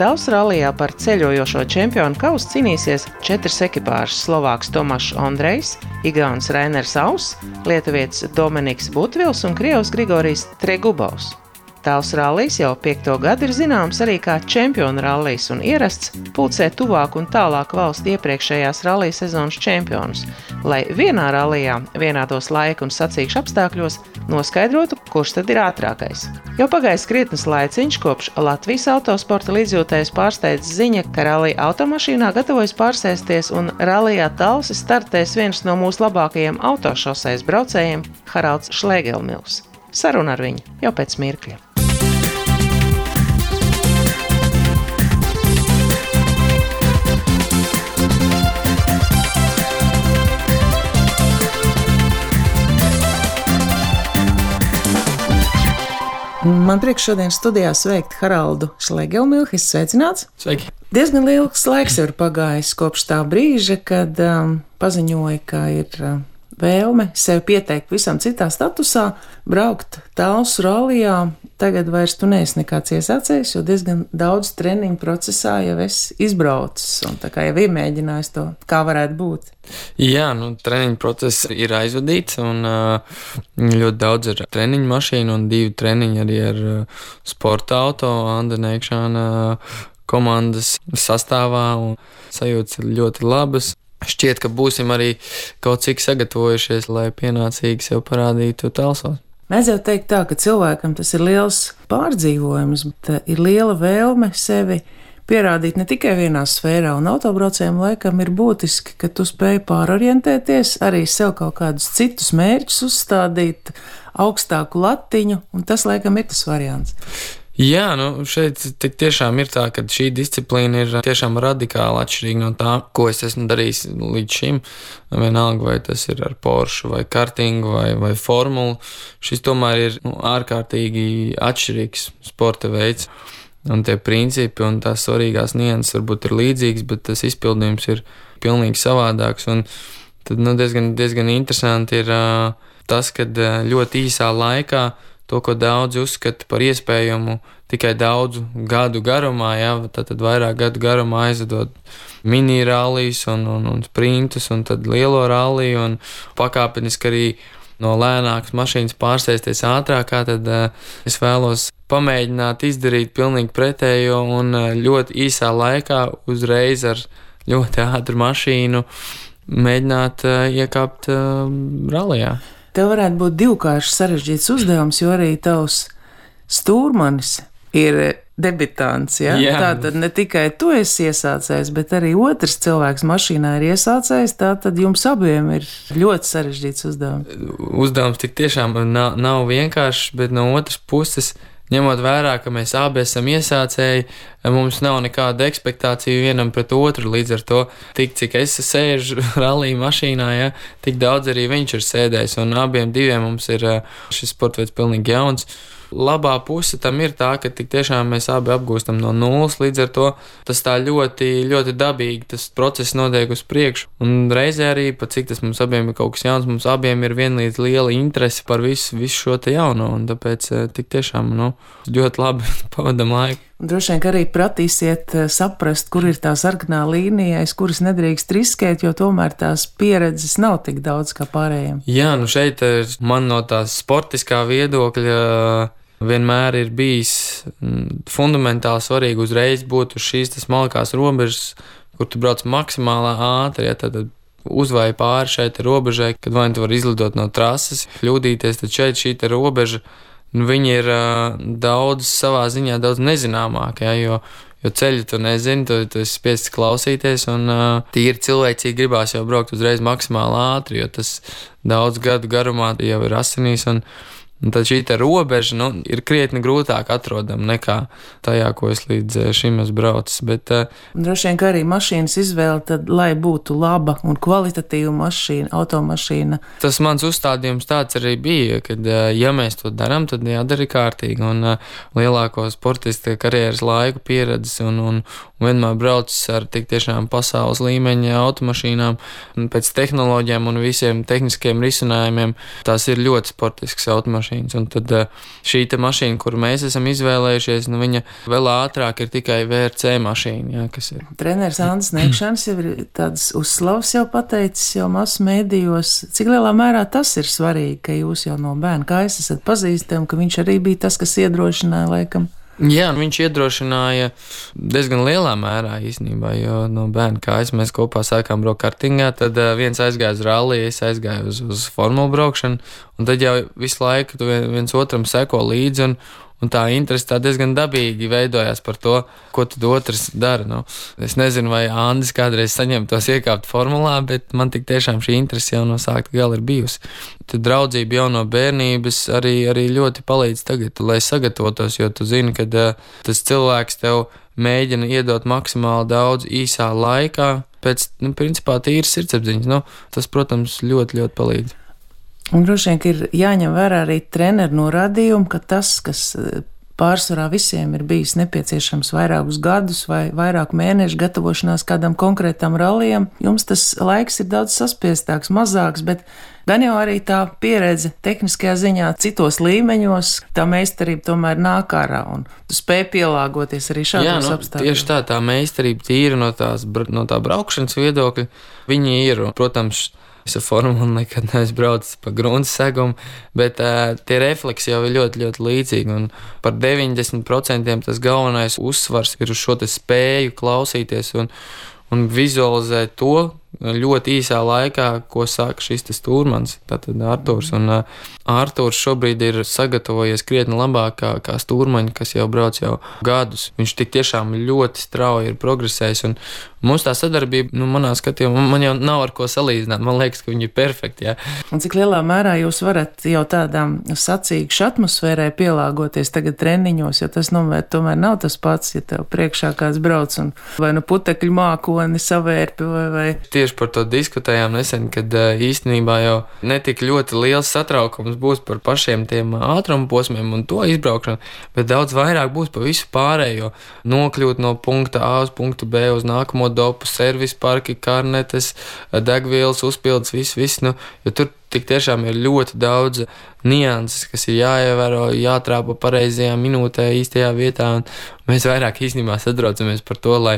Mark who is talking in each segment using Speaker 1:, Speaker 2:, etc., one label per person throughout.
Speaker 1: Tavs rallijā par ceļojošo čempionu kausu cīnīsies 4 ekipāžas: Slovāks Tomašs Ondrejs, Igaunis Rainers Auss, lietuvietis Dominiks Butvils un Krievs Grigorijs Tregubovs. Tavs rallijs jau 5. gadu ir zināms arī kā čempionu rallijs un ierasts pulcē tuvāk un tālāk valsts iepriekšējās rallija sezonas čempionus, lai vienā rallijā, vienādos laika un sacīkšu apstākļos noskaidrotu, kurš tad ir ātrākais. Jau pagājis krietnes laiciņš, kopš Latvijas autosporta līdzjūtējs pārsteidz ziņa, ka rallija automašīnā gatavojas pārsēsties un rallijā Talsis startēs viens no mūsu labākajiem autošosejas braucējiem Haralds Šlēgelmils. Saruna ar viņu jau pēc mirkļa. Man prieks šodien studijā sveikt Haraldu Šlēgelmilhu. Sveicināts!
Speaker 2: Sveiki!
Speaker 1: Diezgan liels laiks ir pagājis kopš tā brīža, kad paziņoja, ka ir vēlme sevi pieteikt visam citā statusā, braukt Tavs rallijā. Tagad vairs tu neesi nekāds iesācējs, jo diezgan daudz treniņu procesā jau esi izbraucis un tā kā jau iemēģinājis to, kā varētu būt.
Speaker 2: Jā, treniņu process ir aizvadīts un ļoti daudz ir treniņu mašīnu un 2 treniņi arī ar sporta auto, Anda Neikšāna komandas sastāvā un sajūtas ir ļoti labas. Šķiet, ka būsim arī kaut cik sagatavojušies, lai pienācīgi sev parādītu Talsos.
Speaker 1: Mēs jau teikt tā, ka cilvēkam tas ir liels pārdzīvojums, bet ir liela vēlme sevi pierādīt ne tikai vienā sfērā, un autobraucējiem laikam ir būtiski, ka tu spēj pārorientēties, arī sev kaut kādus citus mērķus uzstādīt, augstāku latiņu, un tas laikam ir tas variants.
Speaker 2: Jā, šeit tik tiešām ir tā, ka šī disciplīna ir tiešām radikāli atšķirīga no tā, ko es esmu darījis līdz šim. Vienalga, vai tas ir ar Porsche, vai kartingu, vai formulu. Šis tomēr ir ārkārtīgi atšķirīgs sporta veids. Un tie principi un tās svarīgās nianses varbūt ir līdzīgas, bet tas izpildījums ir pilnīgi savādāks. Un tad diezgan interesanti ir tas, ka ļoti īsā laikā to, ko daudzi uzskata par iespējamu tikai daudzu gadu garumā, tad vairāk gadu garumā aizvedot mini rallijas un sprintus un tad lielo ralliju un pakāpeniski arī no lēnākas mašīnas pārsēsties ātrākā, tad es vēlos pamēģināt izdarīt pilnīgi pretējo un ļoti īsā laikā uzreiz ar ļoti ātru mašīnu mēģināt iekāpt rallijā.
Speaker 1: Tev varētu būt divkārši sarežģīts uzdevums, jo arī tavs stūrmanis ir debitants. Ja? Tātad ne tikai tu esi iesācējs, bet arī otrs cilvēks mašīnā ir iesācējs. Tātad jums abiem ir ļoti sarežģīts uzdevums.
Speaker 2: Uzdevums tik tiešām nav vienkāršs, bet no otras puses, ņemot vērā, ka mēs abi esam iesācēji, mums nav nekāda ekspektācija vienam pret otru. Līdz ar to, tik cik es sēžu rallija mašīnā, tik daudz arī viņš ir sēdējis. Un abiem diviem mums ir šis sports veids pilnīgi jauns. Labā puse tam ir tā, ka tik tiešām mēs abi apgūstam no nulles, līdz ar to tas tā ļoti, ļoti dabīgi, tas process notiek uz priekšu. Un reizē arī, pat cik tas mums abiem ir kaut kas jauns, mums abiem ir vienlīdz liela interese par visu šo te jauno, un tāpēc tik tiešām, ļoti labi pavadam laiku.
Speaker 1: Droši vien, ka arī pratīsiet saprast, kur ir tā sarkanā līnija, aiz kuras nedrīkst riskēt, jo tomēr tās pieredzes nav tik daudz kā pārējiem.
Speaker 2: Jā, šeit man no tās sportiskā viedokļa vienmēr ir bijis fundamentāli svarīgi uzreiz būt uz šīs smalkās robežas, kur tu brauc maksimālā ātri, tad uzvāji pāri šai robežai, kad vai tu vari izlidot no trases, kļūdīties, tad šeit šī robeža, viņi ir daudz savā ziņā daudz nezināmāki, jo ceļu tu nezini, tu esi spiests klausīties, un tīri cilvēcīgi gribās jau braukt uzreiz maksimāli ātri, jo tas daudz gadu garumā jau ir asinīs, un tad šī robeža ir krietni grūtāk atrodama nekā tajā, ko es līdz šim esmu braucis.
Speaker 1: Droši vien, ka arī mašīnas izvēle, tad, lai būtu laba un kvalitatīva mašīna, automašīna.
Speaker 2: Tas mans uzstādījums tāds arī bija, ka, ja mēs to darām, tad jādara kārtīgi. Un lielāko sportista karjeras laiku pieredzes un vienmēr braucis ar tik tiešām pasaules līmeņa automašīnām, pēc tehnoloģijām un visiem tehniskiem risinājumiem. Tās ir ļoti sportiskas automašīnas. mašīnas. Un tad šī te mašīna, kuru mēs esam izvēlējušies, nu, viņa vēl ātrāk ir tikai VRC mašīna, jā, kas ir.
Speaker 1: Treneris Andris Neikšans jau ir tādas uzslavas jau pateicis jau masu mēdījos. Cik lielā mērā tas ir svarīgi, ka jūs jau no bērna kājas esat pazīstami, ka viņš arī bija tas, kas iedrošināja laikam?
Speaker 2: Jā, viņš iedrošināja diezgan lielā mērā īstenībā, jo no bērna kājas mēs kopā sākām braukt kartingā, tad viens aizgāja uz ralliju, es aizgāju uz formulu braukšanu, un tad jau visu laiku viens otram seko līdzi, un tā interese tā diezgan dabīgi veidojās par to, ko tad otrs dara. Nu, es nezinu, vai Andris kādreiz saņem tos iekāpt formulā, bet man tik tiešām šī interese jau no sākta gala ir bijusi. Tad draudzība jau no bērnības arī ļoti palīdz tagad, lai sagatavotos, jo tu zini, ka tas cilvēks tev mēģina iedot maksimāli daudz īsā laikā, pēc, principā tīras sirdsapziņas. Nu, tas, protams, ļoti, ļoti palīdz.
Speaker 1: Un droši vien, ka ir jāņem vērā arī treneru norādījumu, ka tas, kas pārsvarā visiem ir bijis nepieciešams vairākus gadus vai vairāku mēnešu gatavošanās kādam konkrētam rallijam, jums tas laiks ir daudz saspiestāks, mazāks, bet gan jau arī tā pieredze tehniskajā ziņā citos līmeņos, tā meistarība tomēr nāk ārā un tu spēj pielāgoties arī šādos apstākļos.
Speaker 2: Tieši tā meistarība tīra no tā braukšanas viedokļa, viņi ir, protams, es ar formulu nekad neesmu braucis pa grunts segumu, bet tie refleksi jau ir ļoti, ļoti līdzīgi. Un par 90% tas galvenais uzsvars ir uz šo te spēju klausīties un vizualizēt to ļoti īsā laikā, ko saka šis stūrmans, tātad Artūrs. Un Artūrs šobrīd ir sagatavojies krietni labāk kā stūrmaņi, kas jau brauc jau gadus. Viņš tik tiešām ļoti strauji ir progresējis, un mums tā sadarbība, manā skatījumā, man jau nav ar ko salīdzināt. Man liekas, ka viņi ir perfekti, jā.
Speaker 1: Un cik lielā mērā jūs varat jau tādām sacīkšu atmosfērai pielāgoties tagad treniņos, jo tas tomēr nav tas pats, ja tev priekšā kāds brauc un vai putekļu mākoni savērpi vai.
Speaker 2: Tieši par to diskutējām nesen, kad īstenībā jau netik ļoti liels satraukums būs par pašiem tiem ātruma posmiem un to izbraukšanu, bet daudz vairāk būs pa visu pārējo. Nokļūt no punkta A uz punktu B uz nākamo dopu, servis parki, karnetes, degvielas, uzpildes, viss, jo tur tik tiešām ir ļoti daudz nianses, kas ir jāievēro, jātrāpa pareizajā minūtē, īstajā vietā, un mēs vairāk īstenībā satraucamies par to, lai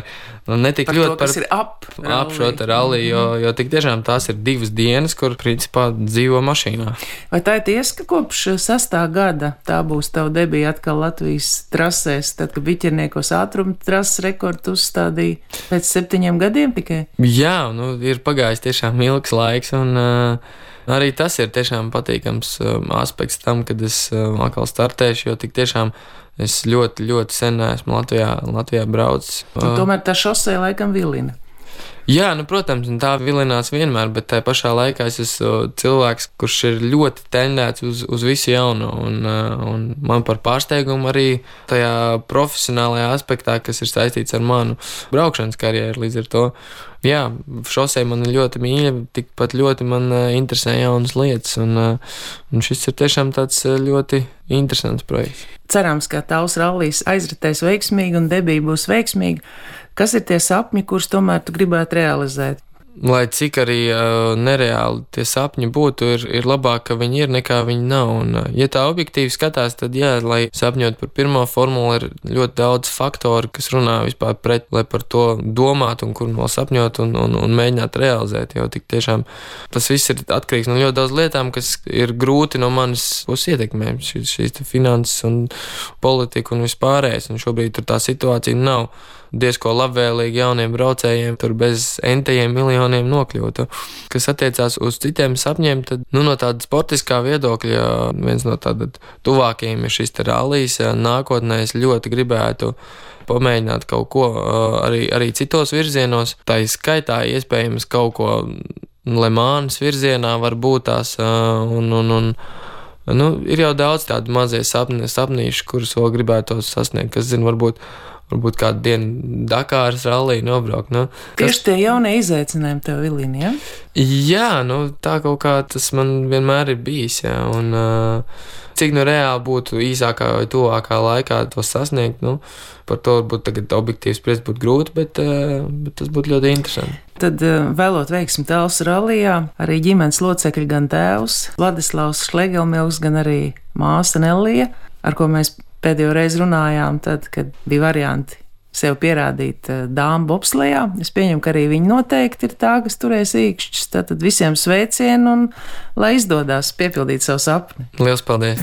Speaker 2: netik
Speaker 1: par
Speaker 2: ļoti
Speaker 1: to, kas ir ap
Speaker 2: šo te ralliju, jo tik tiešām tās ir 2 dienas, kur principā dzīvo mašīnā.
Speaker 1: Vai tā ir tiesa, ka kopš 6. gada tā būs tava debija atkal Latvijas trasēs, tad, kad biķerniekos ātruma trases rekordu uzstādīja pēc 7 gadiem tikai?
Speaker 2: Jā, ir pagājis tiešām ilgs laiks, un arī tas ir tiešām patīkams aspekts tam, kad es atkal startēšu, jo tik tiešām es ļoti, ļoti sen esmu Latvijā braucis.
Speaker 1: Tomēr tā šosei laikam vilina.
Speaker 2: Jā, protams, un tā vilinās vienmēr, bet tajā pašā laikā es esmu cilvēks, kurš ir ļoti tendēts uz visu jauno, un man par pārsteigumu arī tajā profesionālajā aspektā, kas ir saistīts ar manu braukšanas karjeru, līdz ar to. Jā, šosei man ir ļoti mīļa, tikpat ļoti man interesē jaunas lietas, un šis ir tiešām tāds ļoti interesants projekts.
Speaker 1: Cerams, ka tavs rallijs aizritēs veiksmīgi un debija būs veiksmīga. Kas ir tie sapņi, kurus tomēr tu gribētu realizēt?
Speaker 2: Lai cik arī nereāli tie sapņi būtu, ir labāk, ka viņi ir, nekā viņi nav. Un, ja tā objektīvi skatās, tad jā, lai sapņot par pirmo formulu, ir ļoti daudz faktoru, kas runā vispār pret, lai par to domāt un kur vēl sapņot un mēģināt realizēt. Jo tik tiešām tas viss ir atkarīgs no ļoti daudz lietām, kas ir grūti no manis puses ietekmēt. Šīs finanses un politika un vispārējais. Un šobrīd tur tā situācija nav diezko labvēlīgi jauniem braucējiem, tur bez entajiem miljoniem nokļūtu. Kas attiecās uz citiem sapņiem, tad no tāda sportiskā viedokļa viens no tāda tuvākajiem ir šis rallijs. Nākotnē es ļoti gribētu pamēģināt kaut ko arī citos virzienos. Tā ir skaitā iespējams kaut ko Lemānas virzienā varbūt tās ir jau daudz tādu mazie sapnīši, kurus vēl gribētu sasniegt, kas zina, varbūt kādu dienu Dakāras ralliju nobraukt.
Speaker 1: Tieši tie jaunie izaicinājumi tev vilina, ja?
Speaker 2: Jā, tā kaut kā tas man vienmēr ir bijis, jā, un cik reāli būtu īsākā vai tuvākā laikā to sasniegt, par to varbūt tagad objektīvi spriest būtu grūti, bet tas būtu ļoti interesanti.
Speaker 1: Tad vēlot veiksmi Talsu rallijā, arī ģimenes locekļi, gan tēvs Vladislavs Šlegelmilks, gan arī māsa Nellija, ar ko mēs pēdējo reizi runājām, tad, kad bija varianti sev pierādīt dāmu bobslejā. Es pieņemu, ka arī viņi noteikti ir tā, kas turēs īkšķus. Tad visiem sveicienu un lai izdodas piepildīt savu sapni.
Speaker 2: Liels paldies!